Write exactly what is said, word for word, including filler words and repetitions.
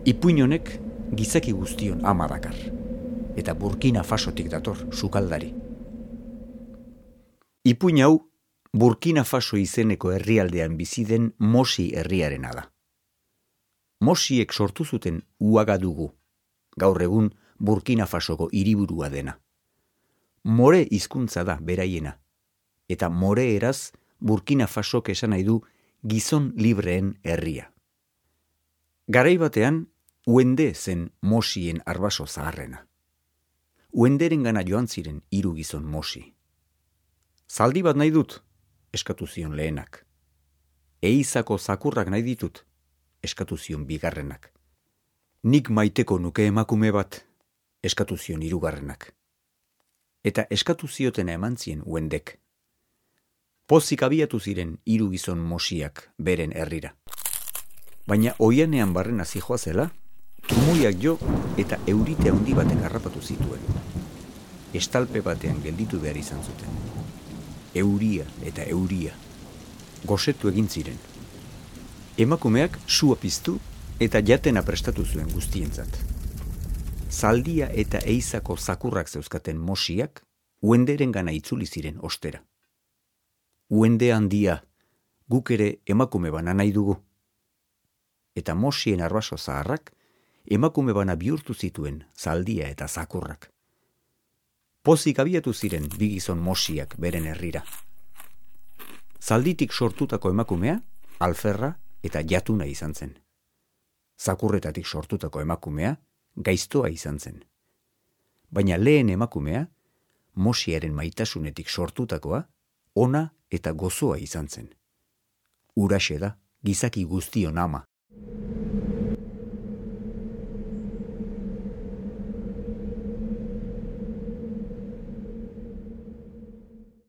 Ipuin honek gizaki guztion ama dakar, eta Burkina Fasotik dator sukaldari. Ipuin hau Burkina Faso izeneko herrialdean bizi den Mosi herriarena da. Mosiek sortu zuten Uagadugu, gaur egun Burkina Fasoko hiriburua dena. More hizkuntza da beraiena, eta more eraz Burkina Fasok esan nahi du gizon libreen herria. Garai batean, Uende zen Mosien arbaso zaharrena. Uenderen gana joan ziren hiru gizon Mosi. Zaldi bat nahi dut, eskatu zion lehenak. Eizako zakurrak nahi ditut, eskatu zion bigarrenak. Nik maiteko nuke emakume bat, eskatu zion hirugarrenak. Eta eskatu ziotena eman zien Uendek. Pozik abiatu ziren hiru gizon Mosiak beren herrira. Baina oianean barrena zijoazela, trumuiak jo eta eurite handi batek harrapatu zituen. Estalpe batean gelditu behar izan zuten. Euria eta euria. Gosetu egin ziren. Emakumeak sua piztu eta jatena prestatu zuen guztientzat. Zaldia eta eizako zakurrak zeuzkaten Mosiak Uenderen gana itzuli ziren ostera. Uende handia, guk ere emakume bana nahi dugu. Eta Mosien arbaso zaharrak emakume bana bihurtu zituen zaldia eta zakurrak. Pozik abiatu ziren bi gizon Mosiak beren herrira. Zalditik sortutako emakumea, alferra eta jatuna izan zen. Zakurretatik sortutako emakumea, gaiztoa izan zen. Baina lehen emakumea, Mosiaren maitasunetik sortutakoa, ona eta gozoa izan zen. Huraxe da, gizaki guztion ama.